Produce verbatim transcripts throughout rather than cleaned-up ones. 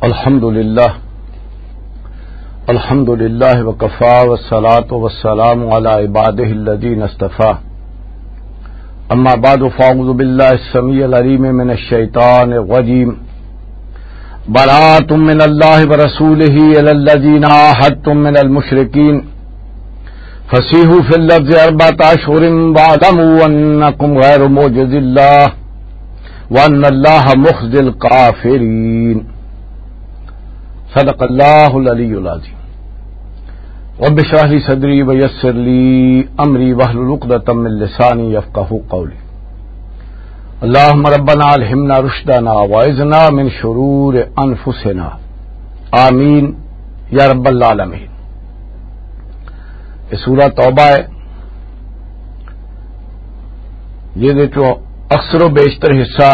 الحمد لله. الحمد لله وكفى، والصلاة والسلام على عباده الذين اصطفى. أما بعد، فأعوذ بالله السميع العليم من الشيطان الرجيم. براءة من الله ورسوله إلى الذين عاهدتم من المشركين. فسيحوا في الأرض أربعة أشهر واعلموا أنكم غير معجز الله وأن الله مخزي الكافرين. صدق الله العلي العظيم. رب اشرح لي صدري ويسر لي أمري واحلل عقدة من لساني يفقهوا قولي. اللهم ربنا ألهمنا رشدنا وأعذنا من شرور أنفسنا. آمين يا رب العالمين. یہ سورہ توبہ ہے، جس وچوں اکثر و بیشتر حصہ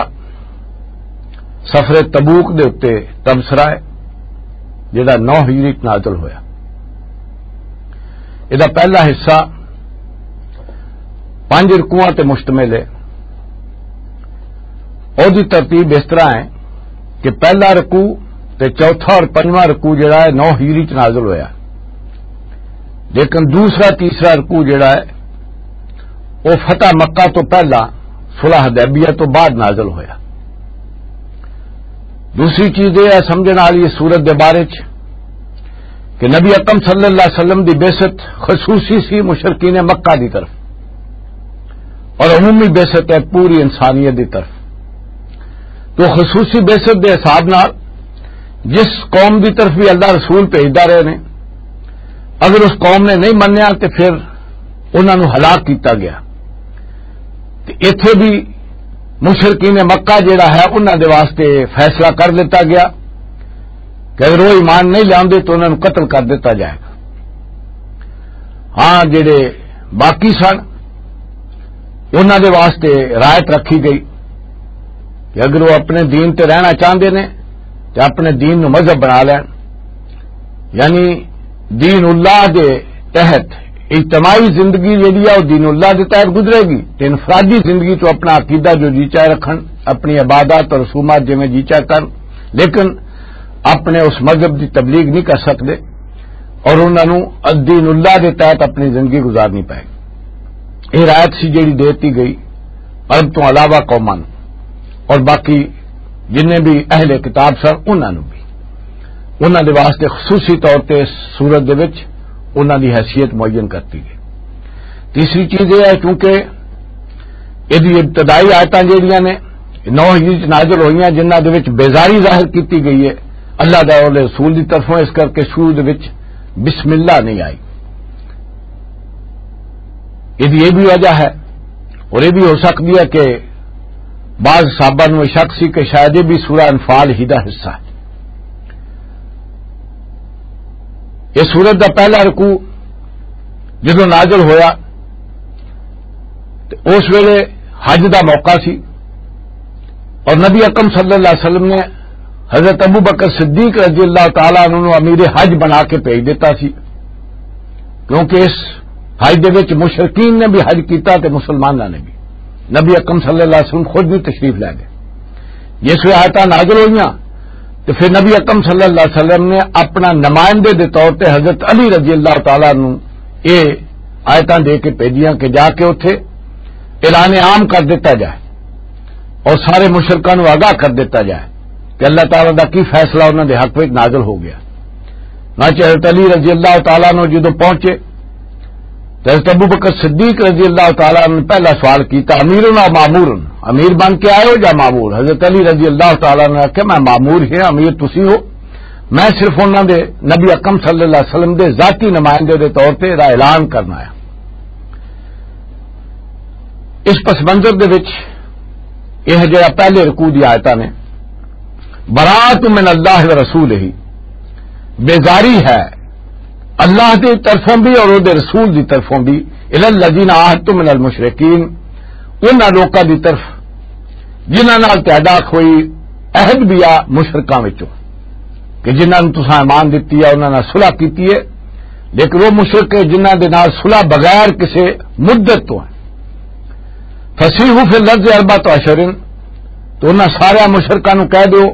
سفر تبوک دے اُتے تبصرہ ہے، جڑا نو ہجری چ نازل ہویا۔ یہ پہلا حصہ پنج رکوعاں تے مشتمل ہے۔ اور دی ترتیب اس طرح ہے کہ پہلا رکوع تے چوتھا اور پنجواں رکوع جڑا ہے نو ہجری چ نازل ہویا، لیکن دوسرا تیسرا رکوع جڑا ہے وہ فتح مکہ تو پہلا، صلح حدیبیہ تو بعد نازل ہویا۔ دوسری چیز یہ ہے سمجھنے والی اس صورت دے بارے چ کہ نبی اکرم صلی اللہ علیہ وسلم دی بعثت خصوصی سی مشرکین مکہ دی طرف، اور عمومی بعثت ہے پوری انسانیت دی طرف۔ تو خصوصی بعثت دے حساب نال جس قوم دی طرف بھی اللہ رسول بھیجدا رہے نے، اگر اس قوم نے نہیں منیا تے پھر انہاں نوں ہلاک کیتا گیا۔ تے ایتھے بھی مشرکین مکہ جڑا ہے، انہاں دے واسطے فیصلہ کر دتا گیا کہ اگر وہ ایمان نہیں لیاندے تو انہاں نوں قتل کر دتا جائے گا۔ ہاں، جڑے باقی سن، انہاں دے واسطے رعایت رکھی گئی کہ اگر وہ اپنے دین تے رہنا چاہندے نے تے اپنے دین نوں مذہب بنا لین، یعنی دین اللہ دے تحت اجتماعی زندگی جیڑی ہے، وہ دین اللہ دے تحت گزرے گی، تے انفرادی زندگی تو اپنا عقیدہ جو جی چاہے رکھن، اپنی عبادات اور رسومات جویں جی چاہے کرن، لیکن اپنے اس مذہب دی تبلیغ نہیں کر سکتے اور انہاں نوں دین اللہ دے تحت اپنی زندگی گزارنی پائے گی۔ یہ رعایت سی جیڑی دیتی گئی عرب تو علاوہ قوماں نوں، اور باقی جنہیں بھی اہل کتاب سن، انہاں نوں بھی، انہاں دے واسطے خصوصی طور تے اس صورت دے وچ انہاں دی حیثیت معین کرتی گئی۔ تیسری چیز یہ ہے، چونکہ یہ ابتدائی آیتاں جہڑیاں نے نو ہجری چ نازل ہوئیاں، جنہاں دے وچ بیزاری ظاہر کیتی گئی ہے اللہ دے اور رسول دی طرفوں، اس کر کے شروع دے وچ بسم اللہ نہیں آئی۔ یہ بھی وجہ ہے، اور یہ بھی ہو سکتی ہے کہ بعض صحابہ نوں یہ شک سی کہ شاید یہ بھی سورہ انفال ہی دا حصہ ہے۔ یہ سورت دا پہلا رکوع جدوں نازل ہویا تے اس ویلے حج دا موقع سی، اور نبی اکرم صلی اللہ علیہ وسلم نے حضرت ابو بکر صدیق رضی اللہ تعالیٰ عنہ نوں امیر حج بنا کے بھیج دیتا سی، کیونکہ اس حج دے وچ مشرکین نے بھی حج کیتا تے مسلماناں نے بھی۔ نبی اکرم صلی اللہ علیہ وسلم خود بھی تشریف لے گئے۔ جس ویلے آیتاں نازل ہوئیاں تے پھر نبی اکرم صلی اللہ علیہ وسلم نے اپنا نمائندے دے طور تے حضرت علی رضی اللہ تعالیٰ عنہ یہ آیتاں دے کے بھیجیاں کہ جا کے اتھے اعلان عام کر دیتا جائے اور سارے مشرکاں نوں آگاہ کر دیتا جائے کہ اللہ تعالیٰ دا کی فیصلہ انہاں دے حق وچ نازل ہو گیا۔ چنانچہ حضرت علی رضی اللہ تعالیٰ عنہ جدوں پہنچے تو حضرت ابو بکر صدیق رضی اللہ تعالیٰ عنہ نے پہلا سوال کیتا، "امیرنا مامورن، امیر بن کے آئے ہو یا مامور؟" حضرت علی رضی اللہ تعالیٰ عنہ نے آکھیا، "میں مامور ہی ہاں، امیر تسی ہو، میں صرف انہاں دے، نبی اکرم صلی اللہ علیہ وسلم دے ذاتی نمائندے دے طور تے ایہدا اعلان کرنا آیا۔" اس پس منظر دے وچ یہ جڑا پہلے رکوع دی آیتاں نے، "براءۃ من اللہ و رسولہ"، بیزاری ہے اللہ دی طرفوں بھی اور او دے رسول دی طرفوں بھی، "الی الذین عاہدتم من المشرکین"، انہاں لوکاں دی طرف جنہاں نال تہاڈا کوئی عہد بھی آ مشرکاں وچوں، کہ جنہاں نوں تساں ایمان دتی ہے، انہاں نال صلح کیتی ہے، لیکن وہ مشرک ہے جنہاں دے نال صلح بغیر کسے مدت تو ہے۔ "فسیحوا فی الارض اربعۃ اشہر"، تو انہاں سارے مشرکاں نوں کہہ دیو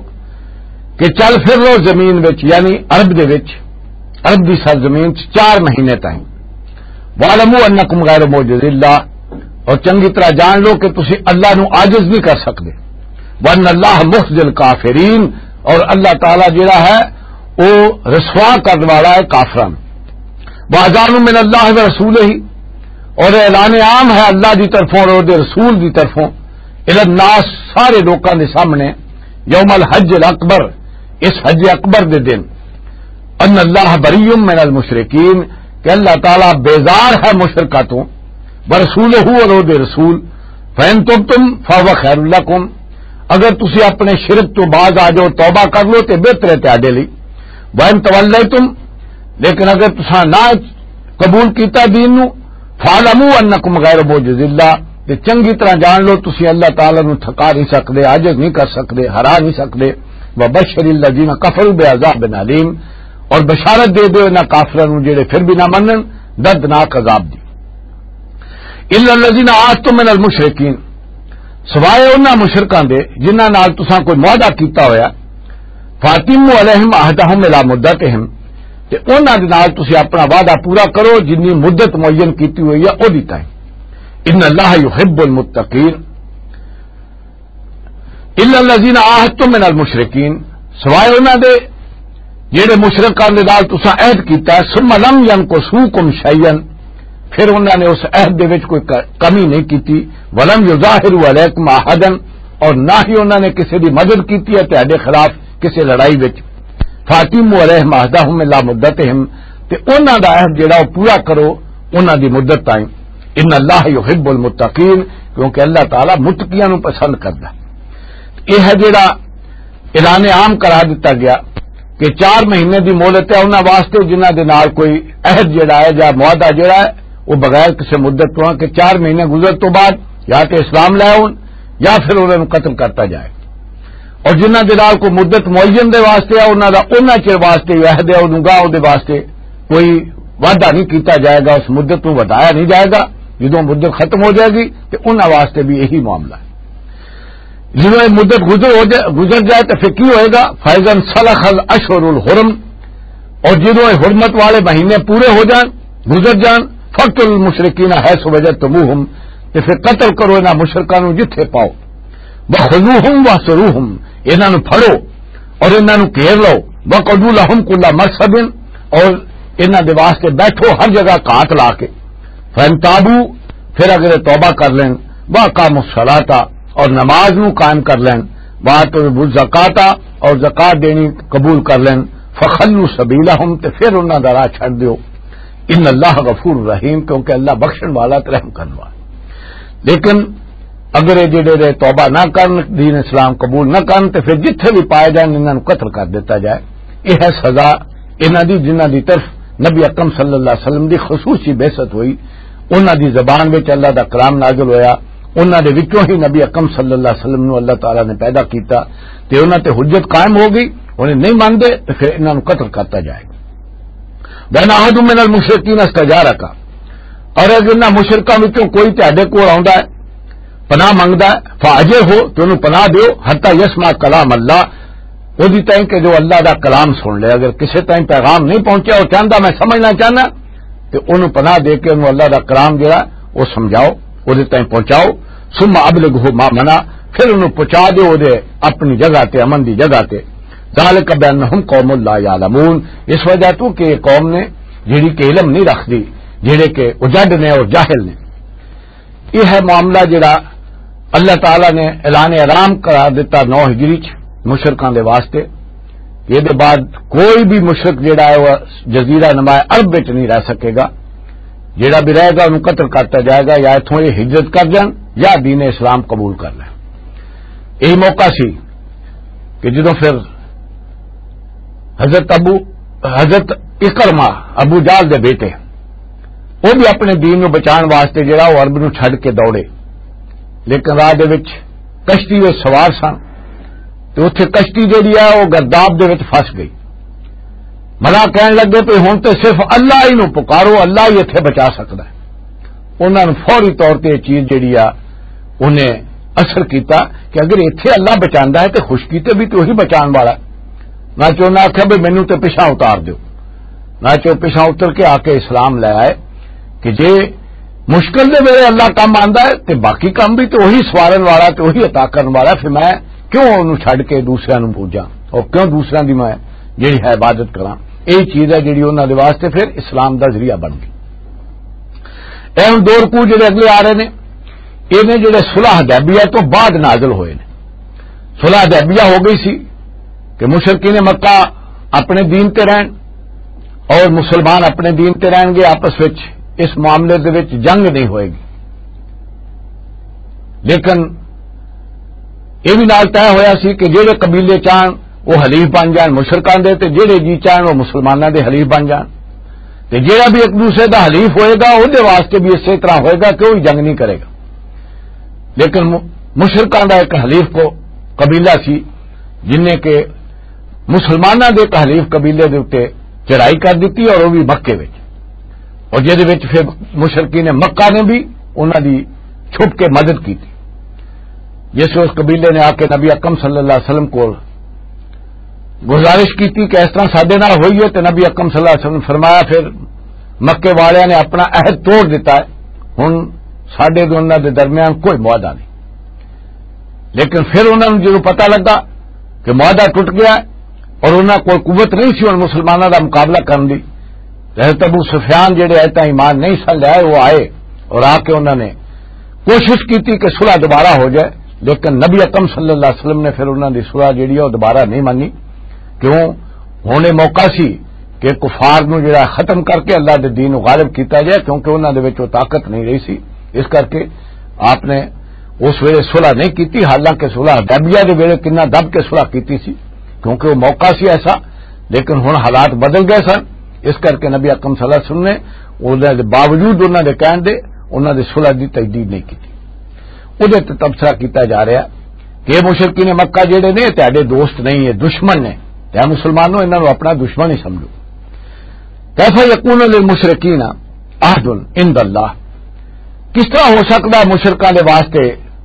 کہ چل پھر لو زمین وچ، یعنی عرب دے وچ، عرب دی سرزمین چ چار مہینے تائیں۔ وَاعْلَمُوا أَنَّكُمْ غَيْرُ مُعْجِزِ اللَّهِ، اور چنگی طرح جان لو کہ تسی اللہ نو عاجز نہیں کر سکدے۔ وَأَنَّ اللَّهَ مُخْزِي الْكَافِرِينَ، اور اللہ تعالیٰ جڑا ہے، وہ رسوا کرنے والا ہے کافراں نوں۔ وَأَذَانٌ مِّنَ اللَّهِ وَرَسُولِهِ، اور اعلان عام ہے اللہ دی طرفوں اور دے رسول دی طرفوں، الی الناس، سارے لوکاں دے سامنے، یوم الحج الاکبر، اس حج اکبر دے دن، ان اللہ بریء من المشرکین، کہ اللہ تعالیٰ بیزار ہے مشرکاں تو، ورسولہ، اور او دے رسول، فَإِن تُبْتُمْ فَهُوَ خَيْرٌ لَكُمْ، اگر تسی اپنے شرک تو باز آ جاؤ، توبہ کر لو تے بہتر ہے تہاڈے لئی، وَإِن تَوَلَّيْتُمْ، لیکن اگر تساں نہ قبول کیتا دین نو، فَاعْلَمُوا أَنَّكُمْ غَيْرُ مُعْجِزِ اللَّهِ، تے چنگی طرح جان لو تسی اللہ تعالیٰ نو تھکا نہیں سکدے، عاجز نہیں کر سکدے، ہرا نہیں سکدے۔ وَبَشِّرِ الَّذِينَ كَفَرُوا بِعَذَابٍ أَلِيمٍ، اور بشارت دے دیو انہاں کافراں نو جڑے پھر بھی نہ منن، دردناک عذاب دی۔ إِلَّا الَّذِينَ عَاهَدتُّم مِّنَ الْمُشْرِكِينَ، سوائے انہاں مشرکاں دے جنہاں نال تساں کوئی معاہدہ کیتا ہویا، فَأَتِمُّوا عَلَيْهِمْ عَهْدَهُمْ إِلَىٰ مُدَّتِهِمْ، تے انہاں دے نال تسی اپنا وعدہ پورا کرو جنی مدت معین کیتی ہوئی ہے، او دی تائیں۔ ان اللہ یحب المتقین۔ الا الذین عاہدتم من المشرکین، سوائے انہاں دے جڑے مشرکاں دے نال تساں عہد کیتا ہے، ثم لم ینقصوکم شیئا، پھر انہاں نے اس عہد دے وچ کوئی ک-، کمی نہیں کیتی، ولم یظاہروا علیکم احدا، اور نہ ہی انہاں نے کسی دی مدد کیتی ہے تہاڈے خلاف کسی لڑائی وچ۔ فاطموا علیہم عہدہم الی مدتہم، تے انہاں دا عہد جڑا او پورا کرو انہاں دی مدت تائیں۔ ان اللہ یحب المتقین، کیونکہ اللہ تعالیٰ متقیاں نوں پسند کردا ہے۔ یہ ہے جڑا اعلان عام قرار دتا گیا کہ چار مہینے دی مہلت ہے انہاں واسطے جنہاں دے نال کوئی عہد جڑا ہے یا معاہدہ جڑا ہے، وہ بغیر کسی مدت تو، کہ چار مہینے گزر تو بعد یا تے اسلام لے آؤن یا پھر انہاں نوں قتل کرتا جائے۔ اور جنہاں دے نال کوئی مدت معین دے واسطے ہے، انہاں دا انہاں چر واسطے ہی عہد ہے، انہوں گاہ دے واسطے کوئی وعدہ نہیں کیتا جائے گا، اس مدت نوں ودھایا نہیں جائے گا۔ جدوں مدت ختم ہو جائے گی تے انہاں واسطے بھی یہی معاملہ ہے۔ جدوں یہ مدت گزر ہو جائے، گزر جائے تو پھر کی ہوئے گا؟ فَإِذَا انْسَلَخَ الْأَشْهُرُ الْحُرُمُ، اور جدوں یہ حرمت والے مہینے پورے ہو جان، گزر جان، فَاقْتُلُوا الْمُشْرِكِينَ حَيْثُ وَجَدْتُمُوهُمْ، تے پھر قتل کرو انہاں مشرکاں نوں جتھے پاؤ۔ وَخُذُوهُمْ وَاحْصُرُوهُمْ، انہاں نوں پھڑو اور انہاں نوں گھیر لو۔ وَاقْعُدُوا لَهُمْ كُلَّ مَرْصَدٍ، اور انہاں دے واسطے بیٹھو ہر جگہ گھات لا کے۔ فَإِن تَابُوا، پھر اگر یہ توبہ کر لین، وَأَقَامُوا الصَّلَاةَ، اور نماز نوں قائم کر لین، وَآتَوُا الزَّكَاةَ، اور زکوٰۃ دینی قبول کر لین، فَخَلُّوا سَبِيلَهُمْ، تے پھر انہاں دا راہ چھڈ دیو۔ ان اللہ غفور رحیم، کیونکہ اللہ بخشن والا تے رحم کرن والا۔ لیکن اگر یہ جڑے رہے توبہ نہ کرن، دین اسلام قبول نہ کرن، تے پھر جتھے بھی پائے جان، انہاں نوں قتل کر دیتا جائے۔ یہ ہے سزا انہاں دی، جنہاں دی طرف نبی اکرم صلی اللہ علیہ وسلم دی خصوصی بعثت ہوئی۔ انہاں دی زبان وچ اللہ دا کلام نازل ہویا، انہاں دے وچوں ہی نبی اکرم صلی اللہ علیہ وسلم نوں اللہ تعالیٰ نے پیدا کیتا، تے انہاں تے حجت قائم ہو گئی، انہیں نہیں مندے تے پھر انہاں نوں قتل کرتا جائے۔ وَإِنْ أَحَدٌ مِّنَ الْمُشْرِكِينَ اسْتَجَارَكَ، اور اگر انہاں مشرکاں وچوں کوئی تہاڈے کول آوندا ہے، پناہ منگدا ہے، فَأَجِرْهُ، تے انہوں پناہ دیو، حَتَّىٰ يَسْمَعَ كَلَامَ اللَّهِ، او دی تائیں کہ جو اللہ دا کلام سن لے۔ اگر کسے تائیں پیغام نہیں پہنچیا، او چاہندا میں سمجھنا چاہنا، تے انہوں پناہ دے کے انہوں اللہ دا کلام جڑا، او سمجھاؤ، او دے تائیں پہنچاؤ۔ ثُمَّ أَبْلِغْهُ مَأْمَنَهُ، پھر انہوں پہنچا دیو او دے اپنی جگہ تے، امن دی جگہ تے۔ ذَٰلِكَ بِأَنَّهُمْ قَوْمٌ لَّا يَعْلَمُونَ، اس وجہ تو کہ یہ قوم نے جڑی کہ علم نہیں رکھدی، جڑے کہ اجڈ نے اور جاہل نے۔ یہ ہے معاملہ جڑا اللہ تعالیٰ نے اعلان حرام قرار دیتا نو ہجری چ مشرکاں دے واسطے، کہ یہ دے بعد کوئی بھی مشرک جڑا ہے وہ جزیرہ نما عرب وچ نہیں رہ سکے گا۔ جڑا بھی رہے گا انہوں قتل کرتا جائے گا، یا اتھوں یہ ہجرت کر جان یا دین اسلام قبول کر لیں۔ یہی موقع سی کہ جدوں پھر حضرت ابو، حضرت اکرمہ، ابو جہل دے بیٹے، وہ بھی اپنے دین نو بچان واسطے جڑا وہ عرب نو چھڈ کے دوڑے، لیکن راہ دے وچ کشتی وچ سوار سن، تے اتھے کشتی جڑی ہے وہ گرداب دے وچ پھس گئی۔ ملا کہن لگے پے ہن تے صرف اللہ ہی نو پکارو، اللہ ہی اتھے بچا سکدا ہے۔ انہاں نوں فوری طور تے یہ چیز جڑی آ، انہیں اثر کیتا کہ اگر ایتھے اللہ بچاندا ہے تے خشکی تے بھی تے وہی بچان والا ہے۔ نہ چو نہ آخیا بھی مینوں تے پیچھا اتار دیو۔ نہ چو پیچھا اتر کے آ کے اسلام لے آئے کہ جے مشکل دے ویلے اللہ کم آندا ہے تے باقی کم بھی تے وہی سوارن والا تے وہی عطا کرن والا، پھر میں کیوں انہوں چھڈ کے دوسریاں نوں پوجاں اور کیوں دوسریاں دی میں جڑی ہے عبادت کراں؟ یہی چیز ہے جڑی انہاں دے واسطے پھر اسلام دا ذریعہ بن گئی۔ اے ہن دو رکوع جڑے اگلے آ رہے نے، یہ نے جڑے صلح حدیبیہ تو بعد نازل ہوئے نے۔ صلح حدیبیہ ہو گئی سی کہ مشرکین مکہ اپنے دین تے رہن اور مسلمان اپنے دین تے رہن گے، آپس وچ اس معاملے دے وچ جنگ نہیں ہوئے گی۔ لیکن یہ بھی نال طے ہویا سی کہ جہڑے قبیلے چاہن وہ حلیف بن جان مشرکان دے، تے جہڑے جی چاہن وہ مسلماناں دے حلیف بن جان، تے جہڑا بھی ایک دوسرے دا حلیف ہوئے گا، وہ دے واسطے بھی اسی طرح ہوئے گا کہ وہ بھی جنگ نہیں کرے گا۔ لیکن م-، مشرکان دا ایک حلیف کو قبیلہ سی، جن نے کہ مسلماناں دے ایک حلیف قبیلے دے اُتے چڑھائی کر دتی اور وہ بھی مکے وچ، اور جہدے وچ پھر مشرکین مکہ نے بھی انہاں دی چھپ کے مدد کی تھی۔ جس اس قبیلے نے آ کے نبی اکرم صلی اللہ علیہ وسلم کو گزارش کی تھی کہ اس طرح ساڈے نال ہوئی ہے، تو نبی اکرم صلی اللہ علیہ وسلم نے فرمایا، پھر مکے والے نے اپنا عہد توڑ دیتا ہے، ہن ساڈے تے انہاں دے درمیان کوئی معاہدہ نہیں۔ لیکن پھر انہاں نوں جدوں پتہ لگا کہ معاہدہ ٹوٹ گیا ہے اور انہاں کول قوت نہیں سی ہن مسلماناں دا مقابلہ کرن دی، تے حضرت ابو سفیان جڑے آئے تاں ایمان نہیں سن لے آئے، وہ آئے اور آ کے انہاں نے کوشش کی تھی کہ صلح دوبارہ ہو جائے، لیکن نبی اکرم صلی اللہ علیہ وسلم نے پھر انہاں دی صلح جڑی ہے وہ دوبارہ نہیں مانی۔ کیوں؟ ہن یہ موقع سی کہ کفار نوں جڑا ختم کر کے اللہ دے دین نوں غالب کیتا جائے، کیونکہ انہاں دے وچ وہ طاقت نہیں رہی سی۔ اس کر کے آپ نے اس ویلے صلح نہیں کیتی، حالانکہ صلح حدیبیہ دے ویلے کنا دب کے صلح کیتی سی، کیونکہ وہ موقع سی ایسا۔ لیکن ہن حالات بدل گئے سن، اس کر کے نبی اکرم صلی اللہ علیہ وسلم نے انہاں دے باوجود انہاں دے کہن دے، انہاں دے صلح دی تجدید نہیں کیتی۔ اودے تے تبصرہ کیتا جا رہا کہ یہ مشرکین مکہ جڑے نے، یہ تہاڈے دوست نہیں، یہ دشمن نے، تے اے مسلمانوں، انہاں نوں اپنا دشمن ہی سمجھو۔ کیف یکون للمشرکین عہد عند اللہ، کس طرح ہو سکتا ہے مشرکاں دے واسطے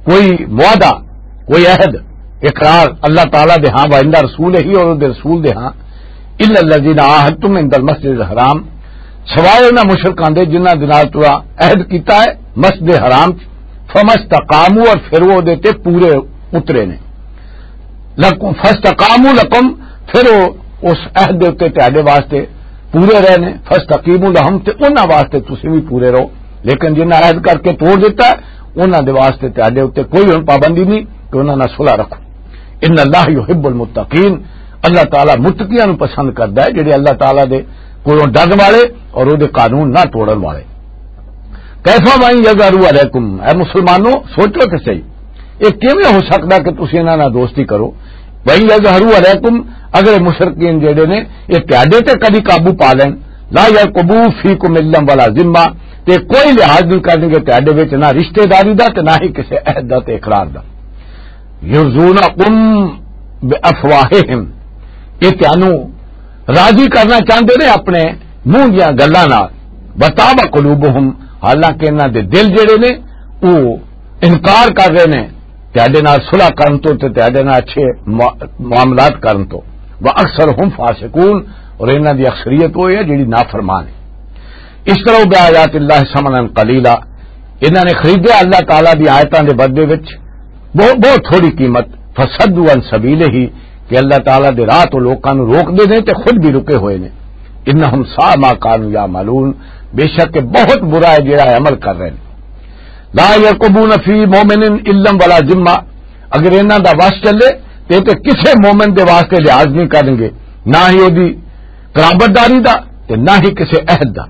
کوئی معاہدہ، کوئی عہد، اقرار اللہ تعالیٰ دے ہاں، وعند رسول ہی، اور اودے رسول دے ہاں، الا الذین عاہدتم عند المسجد الحرام، سوائے انہاں مشرکاں دے جنہاں دے نال تساں عہد کیتا ہے مسجد حرام چ، فمستقاموا، اور پھر وہ دے تے پورے اترے نے۔ لکم فاستقاموا لکم، پھر وہ اس عہد دے اُتے تہاڈے واسطے پورے رہے نے۔ فاستقیموا لہم، تے انہاں واسطے تسی بھی پورے رہو۔ لیکن جنہاں عہد کر کے توڑ دیتا ہے، انہاں دے واسطے تہاڈے اُتے کوئی ہن پابندی نہیں کہ انہاں نال صلح رکھو۔ ان اللہ یحب المتقین، اللہ تعالیٰ متقیاں نوں پسند کردا ہے، جڑے اللہ تعالیٰ دے کولوں ڈرن والے اور او دے قانون نہ توڑن والے۔ کیف وان یظہروا علیکم، اے مسلمانوں، سوچو تے صحیح، یہ کیویں ہو سکدا کہ تسی انہاں نال دوستی کرو؟ وان یظہروا علیکم، اگر مشرکین جڑے نے، یہ تہاڈے تے کدی قابو پا لین، لا یرقبوا فیکم الا ولا ذمہ، تے کوئی لحاظ نہیں کرنگے تہاڈے وچ، نہ رشتہ داری دا تے نہ ہی کسے عہد دا تے اقرار دا۔ یرضونکم بافواہہم، یہ تانوں راضی کرنا چاہندے نے اپنے منہ دیاں گلاں نال۔ وتابى قلوبهم، حالانکہ انہاں دے دل جڑے نے، وہ انکار کر رہے نے تہاڈے نال صلح کرن تو تے تہاڈے نال اچھے مع-، معاملات کرن تو۔ واکثرهم فاسقون، اور انہاں دی اکثریت وہ ہے جڑی نافرمان ہے۔ اشتروا بآیات اللہ ثمنا قلیلا، انہاں نے خریدیا اللہ تعالیٰ دی آیتاں دے بدلے وچ بہت، بہت تھوڑی قیمت، فصدوا عن سبیلہ، کہ اللہ تعالیٰ دے راہ تو لوکاں نوں روک دے نے تے خود بھی رکے ہوئے نے۔ انہم ساء ما کانوا یعملون، بے شک کہ بہت برا ہے جڑا یہ عمل کر رہے نے۔ لا یرقبون فی مؤمن الا ولا ذمہ، اگر انہاں دا وس چلے تے تے کسے مومن دے واسطے لحاظ نہیں کرن گے، نہ ہی او دی قرابت داری دا تے نہ ہی کسے عہد دا۔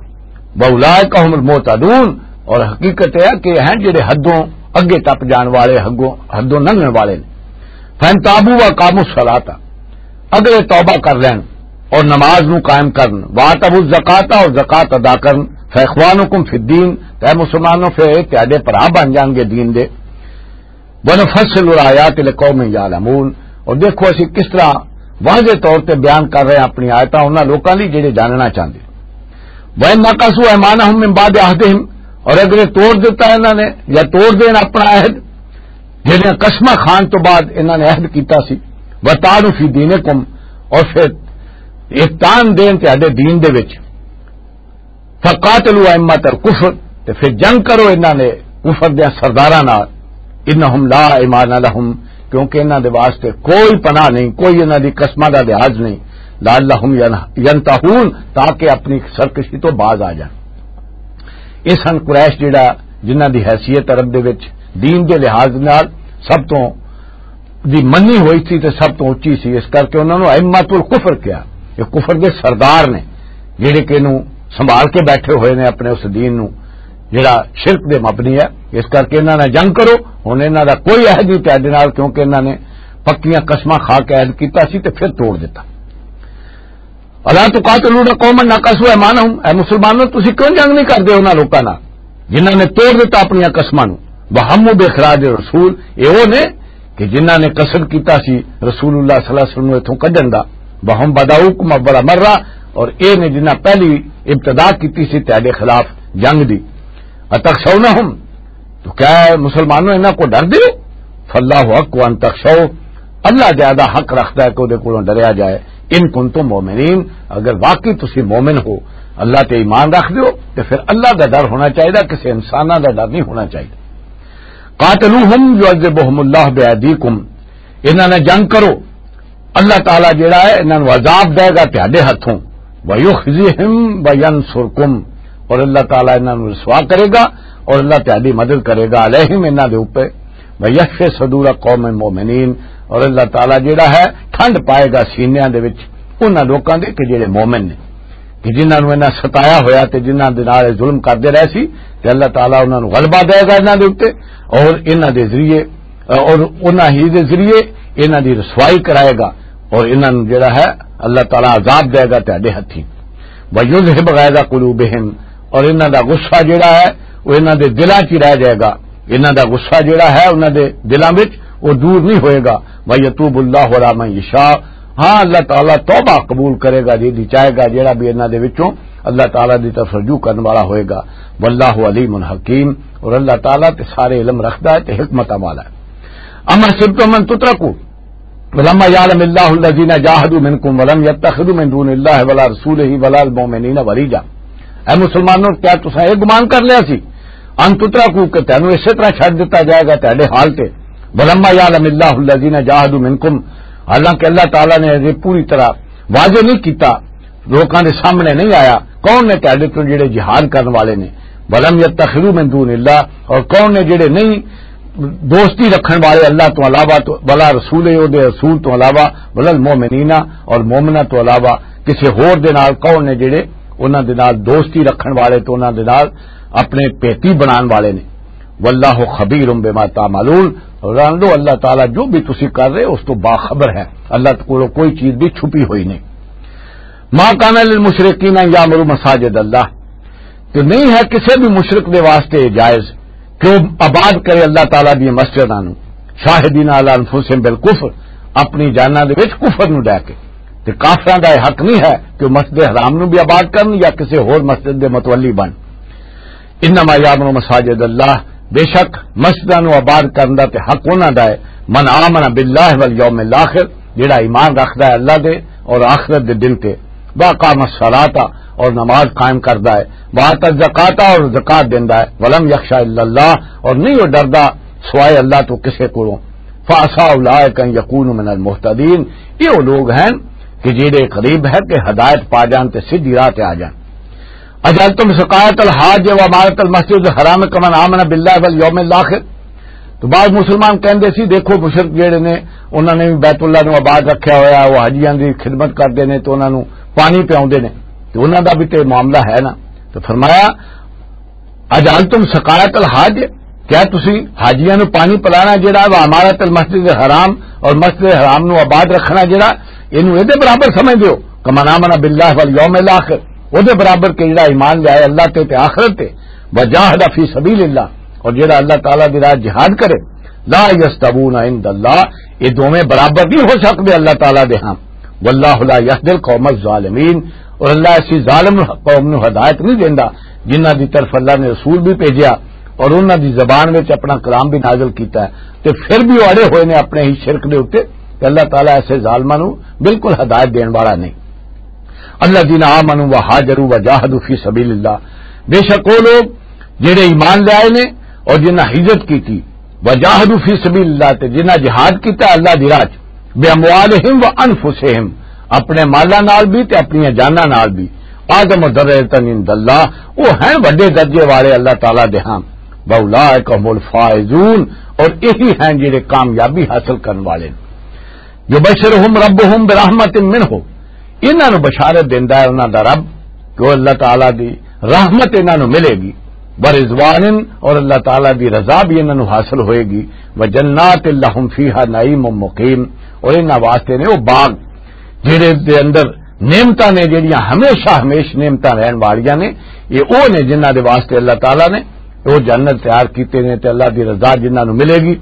واولئک هم المعتدون، اور حقیقت یہ ہے کہ یہ ہیں جڑے حدوں اگے ٹپ جان والے، حدوں، حدوں لنگھن والے نے۔ فَإِن تَابُوا وَأَقَامُوا الصَّلَاةَ، اگر یہ توبہ کر لین اور نماز نو قائم کرن، وَآتَوُا الزَّكَاةَ، اور زکوٰۃ ادا کرن، فَإِخْوَانُكُمْ فِي الدِّينِ، تے اے مسلمانوں، پھر یہ تہاڈے بھرا بن جان گے دین دے۔ وَنُفَصِّلُ الْآيَاتِ لِقَوْمٍ يَعْلَمُونَ، اور دیکھو اسی کس طرح واضح طور تے بیان کر رہے ہیں اپنی آیتاں انہاں لوکاں لئی جڑے جاننا چاہندے۔ وَإِن نَّكَثُوا أَيْمَانَهُم مِّن بَعْدِ عَهْدِهِمْ، اور اگر یہ توڑ دیتا ہے انہاں نے یا توڑ دین اپنا عہد، جڑیاں قسماں خان تو بعد انہاں نے عہد کیتا سی، وَطَعَنُوا فِي دِينِكُمْ، اور پھر احتان دین تہاڈے دین دے وچ۔ فقاتلوا ائمۃ الکفر، تے پھر جنگ کرو انہاں نے کفر دے سرداراں نال۔ انہم لا ایمان لہم، کیونکہ انہاں دے واسطے کوئی پناہ نہیں، کوئی انہاں دی قسماں دا لحاظ نہیں۔ لعلہم ین-، ینتہون، تاکہ اپنی سرکشی تو باز آ جان۔ اس ہن قریش جڑا، جنہاں دی حیثیت عرب دے وچ دین دے لحاظ نال سب تو دی منی ہوئی سی تے سب تو اچی سی، اس کر کے انہاں نوں ائمۃ الکفر کہا۔ یہ کفر دے سردار نے، جڑے کہ انہوں سنبھال کے بیٹھے ہوئے نے اپنے اس دین نوں، جڑا شرک دے مبنی ہے۔ اس کر کے انہاں نال جنگ کرو۔ ہن انہاں دا کوئی عہد نہیں تہاڈے نال، کیونکہ انہاں نے پکیاں قسماں کھا کے عہد کیتا سی تے پھر توڑ دتا۔ الا تقاتلون قوما نقضوا ایمانہم، اے مسلمانوں، تسی کیوں جنگ نہیں کردے انہاں لوکاں نال جنہاں نے توڑ دتا اپنیاں قسماں نوں؟ وہموا باخراج الرسول، اے او نے کہ جنہاں نے قصد کیتا سی رسول اللہ صلی اللہ علیہ وسلم نوں اتھوں کڈن دا۔ وہم بداؤکم اول مرہ، اور اے نے جنہاں پہلی ابتدا کیتی سی تہاڈے خلاف جنگ دی۔ اتخشونہم، تو کیا اے مسلمانوں انہاں کو ڈر دیو؟ فاللہ حق ان تخشوہ، اللہ زیادہ حق رکھدا ہے کہ اودے کولوں ڈریا جائے۔ ان کنتم مؤمنین، اگر واقعی تسی مومن ہو، اللہ تے ایمان رکھ دیو، تے پھر اللہ دا ڈر ہونا چاہیدا، کسے انساناں دا ڈر نہیں ہونا چاہیدا۔ قاتلوہم یعذبہم اللہ بایدیکم، انہاں نال جنگ کرو، اللہ تعالیٰ جڑا ہے انہاں نوں عذاب دے گا تہاڈے ہتھوں۔ وَيُخْزِهِمْ وَيَنْصُرْكُمْ، اور اللہ تعالیٰ انہاں نوں رسوا کرے گا اور اللہ تہاڈی مدد کرے گا، علیہم، انہاں دے اوپر۔ وَيَشْفِ صُدُورَ قَوْمٍ مُؤْمِنِينَ، اور اللہ تعالیٰ جڑا ہے ٹھنڈ پائے گا سینیاں دے وچ انہاں لوکاں دے کہ جڑے مومن نے، کہ جنہاں نوں انہاں ستایا ہویا تے جنہاں دے نال ظلم کردے رہے سی، تے اللہ تعالیٰ انہاں نوں غلبہ دے گا انہاں دے اوپر، اور انہاں دے ذریعے اور انہاں ہی دے ذریعے انہاں دی رسوائی کرائے گا، اور انہاں نوں جڑا ہے اللہ تعالیٰ عذاب دے گا تہاڈے ہتھی۔ وَيُذْهِبَ غَيْظَ قُلُوبِهِمْ، اور انہاں دا غصہ جڑا ہے وہ انہاں دے دلاں 'چ رہ جائے گا۔ انہاں دا غصہ جڑا ہے انہاں دے دلاں وچ، وہ دور نہیں ہوئے گا۔ وَيَتُوبَ اللَّهُ عَلَىٰ مَن يَشَاءُ، ہاں، اللہ تعالیٰ توبہ قبول کرے گا جی دی چاہے گا، جڑا بھی انہاں دے وچوں اللہ تعالیٰ دی طرف رجوع کرنے والا ہوئے گا۔ وَاللَّهُ عَلِيمٌ حَكِيمٌ، اور اللہ تعالیٰ تے سارے علم رکھدا ہے تے حکمت والا ہے۔ اما حسبتم ان تترکوا ولما یعلم اللہ الذین جاہدوا منکم ولم یتخذوا من دون اللہ ولا رسولہ ولا المؤمنین ولیجا۔ اے مسلمانوں، کیا تساں یہ گمان کر لیا سی ان تترکوا کہ تینوں اسی طرح چھڈ دتا جائے گا تہاڈے حال تے؟ ولما یعلم اللہ الذین جاہدوا منکم، حالانکہ اللہ تعالیٰ نے یہ پوری طرح واضح نہیں کیتا، لوکاں دے سامنے نہیں آیا کون نے تہاڈے تو جڑے جہاد کرن والے نے، ولم یتخذوا من دون اللہ، اور کون نے جڑے نہیں دوستی رکھن والے اللہ تو علاوہ، تو ولا رسول، او دے رسول تو علاوہ، ولا المؤمنین، اور مومناں تو علاوہ کسے ہور دے نال کون نے جڑے انہاں دے نال دوستی رکھن والے تو انہاں دے نال اپنے پیتی بنان والے نے۔ واللہ خبیر بما تعملون، اور جان لو اللہ تعالیٰ جو بھی تسی کر رہے اس تو باخبر ہے، اللہ کولوں کوئی چیز بھی چھپی ہوئی نہیں۔ ما کان للمشرکین ان یعمروا مساجد اللہ، تو نہیں ہے کسی بھی مشرک دے واسطے جائز کہ وہ آباد کرے اللہ تعالیٰ دی مسجداں نو، شاہدین علی انفسہم بالکفر، اپنی جاناں دے وچ کفر نو ڈے کے۔ تے کافراں دا یہ حق نہیں ہے کہ وہ مسجد حرام نو بھی آباد کرن یا کسی ہور مسجد دے متولی بن۔ انما یعمر مساجد اللہ، بے شک مسجداں نو آباد کرن دا تے حق انہاں دا ہے، من آمن باللہ والیوم الاخر، جڑا ایمان رکھدا ہے اللہ دے اور آخرت دے دن تے، واقام الصلاۃ، اور نماز قائم کردا ہے، وآت الزکات، اور زکات دیندا ہے، ولم یخش الا اللہ، اور نہیں وہ ڈردا سوائے اللہ تو کسے کولوں۔ فعسیٰ اولئک ان یکونوا من المہتدین، یہ وہ لوگ ہیں کہ جڑے قریب ہے کہ ہدایت پا جان تے سیدھی راہ تے آ جان۔ اجعلتم سقایۃ الحاج و عمارۃ المسجد الحرام کمن آمن باللہ والیوم الاخر۔ تو بعض مسلمان کہندے سی، دیکھو مشرک جڑے نے، انہاں نے بھی بیت اللہ نو آباد رکھیا ہویا، وہ حاجیاں دی خدمت کردے نے تو انہاں نو پانی پیاوندے نے، تو انہاں دا بھی تے معاملہ ہے نا۔ تو فرمایا، اجعلتم سقایۃ الحاج، کیا تسی حاجیاں نو پانی پلانا جڑا وا عمارت المسجد الحرام اور مسجد الحرام نو آباد رکھنا جڑا، اینو اے دے برابر سمجھدے ہو؟ کمن آمن باللہ والیوم الاخر، او دے برابر کہ جڑا ایمان لے آئے اللہ تے، تے آخرت تے، وجاہد فی سبیل اللہ، اور جڑا اللہ تعالیٰ دی راہ جہاد کرے، لا یستوون عند اللہ، یہ دوویں برابر نہیں ہو سکتے اللہ تعالیٰ دے ہاں۔ واللہ لا یہدی القوم الظالمین، اور اللہ ایسی ظالم قوم نو ہدایت نہیں دیندا جنہاں دی طرف اللہ نے رسول بھی بھیجیا اور انہاں دی زبان وچ اپنا کلام بھی نازل کیتا ہے، تے پھر بھی وہ اڑے ہوئے نے اپنے ہی شرک دے اُتے۔ اللہ تعالیٰ ایسے ظالماں نوں بالکل ہدایت دین والا نہیں۔ الذین آمنوا وہاجروا وجاہدوا فی سبیل اللہ، بے شک وہ لوگ جڑے ایمان لے آئے نے اور جنہاں ہجرت کی تھی، وجاہدوا فی سبیل اللہ، تے جنہاں جہاد کیتا اللہ دی راہ چ، باموالہم و انفسہم، اپنے مالاں نال بھی تے اپنی جاناں نال بھی، اعظم درجۃ عند اللہ، وہ ہیں وڈے درجے والے اللہ تعالیٰ دے ہاں، واولئک هم الفائزون، اور یہی ہیں جڑے کامیابی حاصل کرن والے۔ یبشرہم ربہم برحمت منہ، انہاں نوں بشارت دیندا ہے انہاں دا رب کہ وہ اللہ تعالیٰ دی رحمت انہاں نوں ملے گی، ورضوان، اور اللہ تعالیٰ دی رضا بھی انہاں نوں حاصل ہوئے گی، وجنات لہم فیہا نعیم مقیم، اور انہاں واسطے نے وہ باغ جڑے دے اندر نعمتاں نے جڑیاں ہمیشہ ہمیش نعمتاں رہن والیاں نے، یہ وہ نے جنہاں دے واسطے اللہ تعالیٰ نے وہ جنت تیار کیتے نے تے اللہ دی رضا جنہاں نوں ملے گی،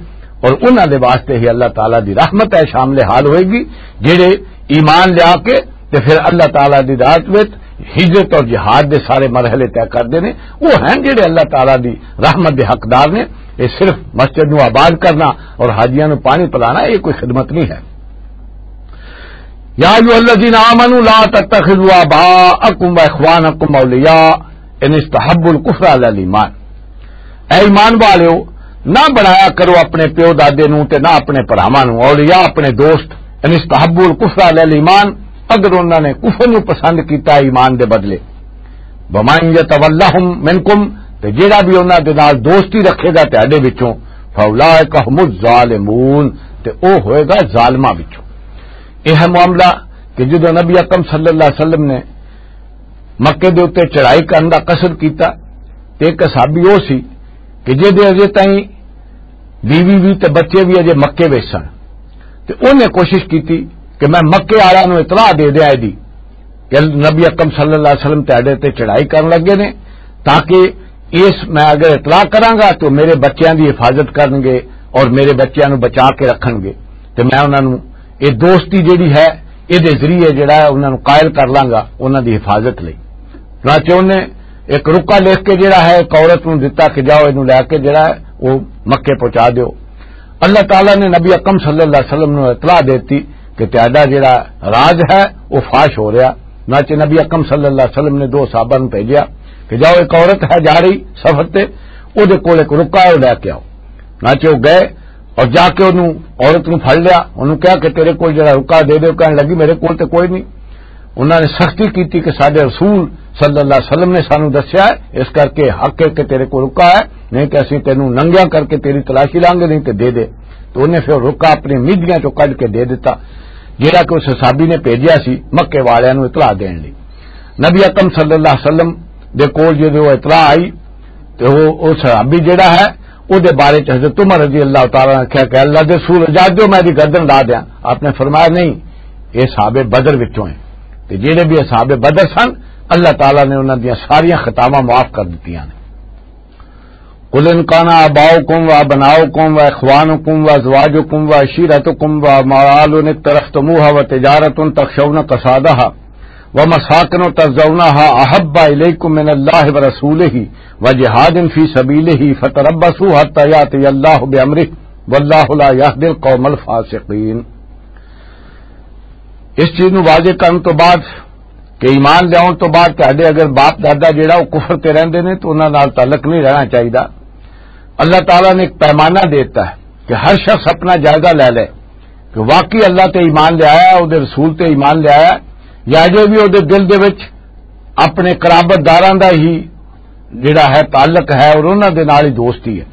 اور انہاں دے واسطے ہی اللہ تعالیٰ دی رحمت ہے شامل حال ہوئے گی۔ جڑے ایمان لیا کے تے پھر اللہ تعالیٰ دی ذات وچ ہجرت اور جہاد دے سارے مرحلے طے کردے نے، وہ ہیں جڑے اللہ تعالیٰ دی رحمت دے حقدار نے۔ یہ صرف مسجد نو آباد کرنا اور حاجیاں نو پانی پلانا، یہ کوئی خدمت نہیں ہے۔ یا ایھا الذین آمنوا لا تتخذوا آباءکم و اخوانکم اولیاء ان استحبوا الکفر علی الایمان۔ اے ایمان والیو، نہ بنایا کرو اپنے پیو دادے نوں تے نہ اپنے بھراواں نوں اولیاء، اپنے دوست، ان استحبوا الکفر علی الایمان، اگر انہاں نے کفر نوں پسند کیتا ہے ایمان دے بدلے۔ ومن یتولہم منکم، تے جیڑا بھی انہاں دے نال دوستی رکھے گا تہاڈے وچوں، فاولئک هم الظالمون، تے او ہوئے گا ظالماں وچوں۔ یہ ہے معاملہ کہ جدوں نبی اکرم صلی اللہ علیہ وسلم نے مکے دے اُتے چڑھائی کرن دا قصد کیتا، تے ایک صحابی او سی کہ جے دے اجے تائیں بیوی بھی تے بچے بھی اجے مکے وچ سن، تے انہیں کوشش کیتی کہ میں مکے والیاں نوں اطلاع دے دیاں ایدی کہ نبی اکرم صلی اللہ علیہ وسلم تہاڈے تے چڑھائی کرن لگے نے، تاکہ اس میں اگر اطلاع کراں گا تو میرے بچیاں دی حفاظت کرن گے اور میرے بچیاں نوں بچا کے رکھن گے، تے میں انہاں نوں یہ دوستی جڑی ہے، یہ دے ذریعے جڑا ہے انہاں نوں قائل کر لاں گا انہاں دی حفاظت لئی۔ چنانچہ انہیں ایک رکا لکھ کے جڑا ہے ایک عورت نوں دتا کہ جاؤ، اینوں لے کے جڑا ہے وہ مکے پہنچا دیو۔ اللہ تعالیٰ نے نبی اکرم صلی اللہ علیہ وسلم نوں اطلاع دیتی کہ تہاڈا جڑا راز ہے وہ فاش ہو رہا۔ چنانچہ نبی اکرم صلی اللہ علیہ وسلم نے دو صحابہ نوں بھیجیا کہ جاؤ، ایک عورت ہے جا رہی سفر تے، او دے کول ایک رکا ہے، وہ لے کے آؤ۔ چنانچہ وہ گئے اور جا کے انہوں عورت نوں پھڑ لیا، انہوں کہا کہ تیرے کول جڑا رکا دے دے، کہنے لگی میرے کول تے کوئی نہیں۔ انہوں نے سختی کیتی کہ ساڈے رسول صلی اللہ علیہ وسلم نے سانوں دسیا ہے، اس کر کے حق ہے کہ تیرے کول رکا ہے، نہیں تے اسی تینوں ننگیاں کر کے تیری تلاشی لانگے، نہیں تے دے دے۔ تو انہیں پھر رکا اپنی میدیاں چوں کڈ کے دے دتا، جیڑا کہ اس صحابی نے بھیجیا سی مکے والیاں نوں اطلاع دین لئی۔ نبی اکرم صلی اللہ علیہ وسلم دے کول جدوں وہ اطلاع آئی، تے وہ، وہ صحابی جڑا ہے، او دے بارے چ حضرت عمر رضی اللہ تعالیٰ نے کہا کہ اللہ دے رسول اجازت دیو، میں دی گردن لا دیاں۔ آپ نے فرمایا، نہیں، یہ صحابہ بدر وچوں ہیں۔ تے جڑے بھی صحابہ بدر سن، اللہ تعالیٰ نے انہاں دیاں ساریاں خطاواں معاف کر دتیاں نے۔ قل ان کان آباؤکم و ابناؤکم و اخوانکم و ازواجکم و عشیرتکم و اموال اقترفتموها و تجارت تخشون کسادها ومساکن ترضونها احب الیکم من اللہ ورسولہ وجہاد فی سبیلہ فتربصوا حتی یاتی اللہ بامرہ واللہ لا یہدی القوم الفاسقین۔ اس چیز نو واضح کرن تو بعد کہ ایمان لیاؤن تو بعد تہاڈے اگر باپ دادا جڑا وہ کفر تے رہندے نے تو انہاں نال تعلق نہیں رہنا چاہیدا۔ اللہ تعالیٰ نے ایک پیمانہ دیتا ہے کہ ہر شخص اپنا جائزہ لے لے کہ واقعی اللہ تے ایمان لے آیا، او دے رسول تے ایمان لے آیا، یا اجے بھی او دے دل دے وچ اپنے قرابت داراں دا ہی جڑا ہے تعلق ہے اور انہاں دے نال ہی دوستی ہے۔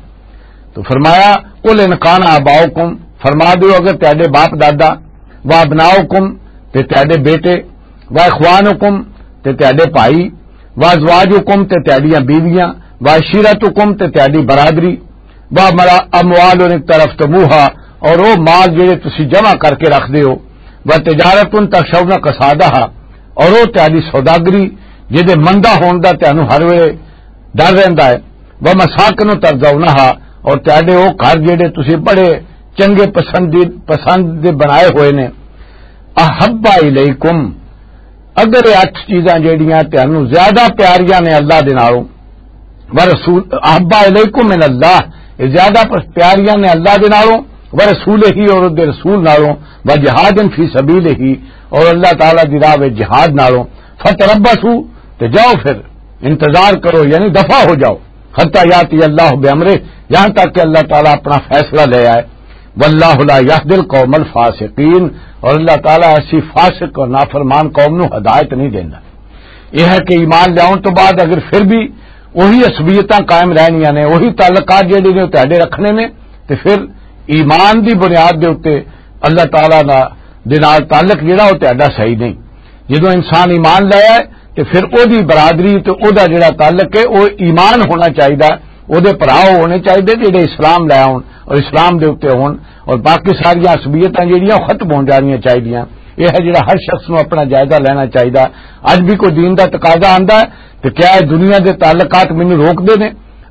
تو فرمایا، قل ان کان آباؤکم، فرما دیو اگر تہاڈے باپ دادا، و ابناؤکم، تے تہاڈے بیٹے، و اخوانکم، تے تہاڈے بھائی، و ازواجکم، تے تہاڈیاں بیویاں، و عشیرتکم، تے تہاڈی برادری، و امرا-، اموال اقترفتموها، اور او مال جڑے تسی جمع کر کے رکھ دے ہو، و تجارت تخشون کسادها، اور او تہاڈی سوداگری جدے مندہ ہون دا تہانوں ہر ویلے ڈر رہندا ہے، و مساکن ترضونها، اور تہاڈے او گھر جڑے تسی بڑے چنگے پسندی-، پسند دے بنائے ہوئے نے، احب الیکم، اگر یہ اٹھ چیزاں جیڑیاں تہانوں زیادہ پیاریاں نے اللہ دے نالوں، ورسول، احب الیکم من اللہ، یہ زیادہ پس-، پیاریاں نے اللہ دے نالوں، ورسولہ، اور اس دے رسول نالوں، وجہاد فی سبیلہ، اور اللہ تعالیٰ دی راہ وچ جہاد نالوں، فتربصوا، تے جاؤ پھر، انتظار کرو، یعنی دفع ہو جاؤ، حتی یاتی اللہ بامرہ، یہاں تک کہ اللہ تعالیٰ اپنا فیصلہ لے آئے۔ واللہ لا یہدی القوم الفاسقین، اور اللہ تعالیٰ ایسی فاسق اور نافرمان قوم نو ہدایت نہیں دیندا۔ یہ ہے کہ ایمان لیاؤن تو بعد اگر پھر بھی وہی عصبیتاں قائم رہنیاں نے، وہی تعلقات جڑے نے تہاڈے رکھنے نے، تے پھر ایمان دی بنیاد دے اتے اللہ تعالیٰ دا، دے نال تعلق جڑا، وہ تہاڈا صحیح نہیں۔ جدوں انسان ایمان لایا ہے، تے پھر او دی برادری تے او دا جڑا تعلق ہے، او ایمان ہونا چاہیدا، او دے بھرا ہونے چاہیدے جڑے اسلام لے آؤن اور اسلام دے اتے ہون، اور باقی ساریاں عصبیتاں جڑیاں، او ختم ہو جانیاں چاہیدیاں۔ یہ ہے جڑا ہر شخص نو اپنا جائزہ لینا چاہیدا۔ اج بھی کوئی دین دا تقاضا آندا ہے، تے کیا اے دنیا دے تعلقات مینوں روک دے نے؟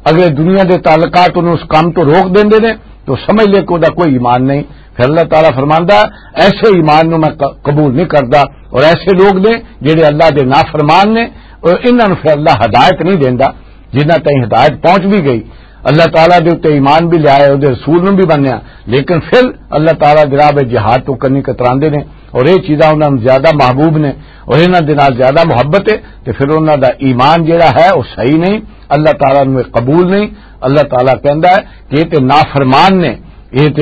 اگر اے دنیا دے تعلقات انہوں اس کام تو روک دیندے نے، تو سمجھ لے کہ وہ کوئی ایمان نہیں۔ پھر اللہ تعالیٰ فرماندا، ایسے ایمان نو میں ق-، قبول نہیں کردا۔ اور ایسے لوگ نے جڑے اللہ دے نافرمان نے، اور انہاں نو پھر اللہ ہدایت نہیں دیندا۔ جنہاں تائیں ہدایت پہنچ بھی گئی، اللہ تعالیٰ دے اُتے ایمان بھی لیا ہے، اودے رسول نوں بھی منیا، لیکن پھر اللہ تعالیٰ دے راہ وچ جہاد تو کنی کتراندے نے، اور یہ چیزاں انہاں نوں زیادہ محبوب نے اور انہاں دے نال زیادہ محبت ہے، تے پھر انہاں دا ایمان جڑا ہے، وہ صحیح نہیں، اللہ تعالیٰ نوں یہ قبول نہیں۔ اللہ تعالیٰ کہندا ہے کہ یہ تے نافرمان نے، یہ تے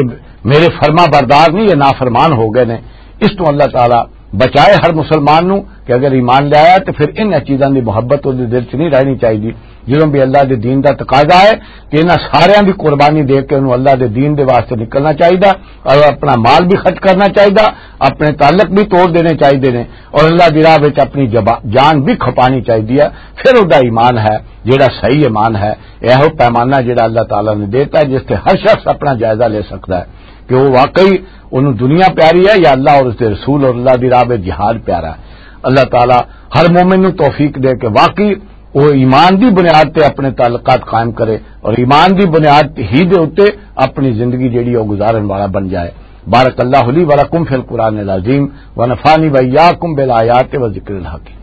میرے فرما بردار نہیں، یہ نافرمان ہو گئے نے۔ اس تو اللہ تعالیٰ بچائے ہر مسلمان نو کہ اگر ایمان لے آیا تو پھر ان چیزاں دی محبت اس دے دل چ نہیں رہنی چاہیے۔ جدوں بھی اللہ دے دین دا تقاضا ہے کہ انہاں ساریاں دی قربانی دے کے انہوں اللہ دے دین دے واسطے نکلنا چاہیے، اور اپنا مال بھی خرچ کرنا چاہیے، اپنے تعلق بھی توڑ دینے چاہیے نے، اور اللہ دی راہ وچ اپنی جبا-، جان بھی کھپانی چاہیے ہے۔ پھر او دا ایمان ہے جڑا صحیح ایمان ہے۔ ایہو پیمانہ جڑا اللہ تعالیٰ نے دیتا ہے، جس تے ہر شخص اپنا جائزہ لے سکتا ہے کہ وہ واقعی انہوں دنیا پیاری ہے یا اللہ اور اس دے رسول اور اللہ دی راہ وچ جہاد پیارا ہے۔ اللہ تعالیٰ ہر مومن نوں توفیق دے کہ واقعی وہ ایمان دی بنیاد تے اپنے تعلقات قائم کرے اور ایمان دی بنیاد ہی دے اُتے اپنی زندگی جڑی وہ گزارن والا بن جائے۔ بارک اللہ لی و لکم فی القرآن العظیم و نفعنی و ایاکم بالآیات و ذکر الحکیم۔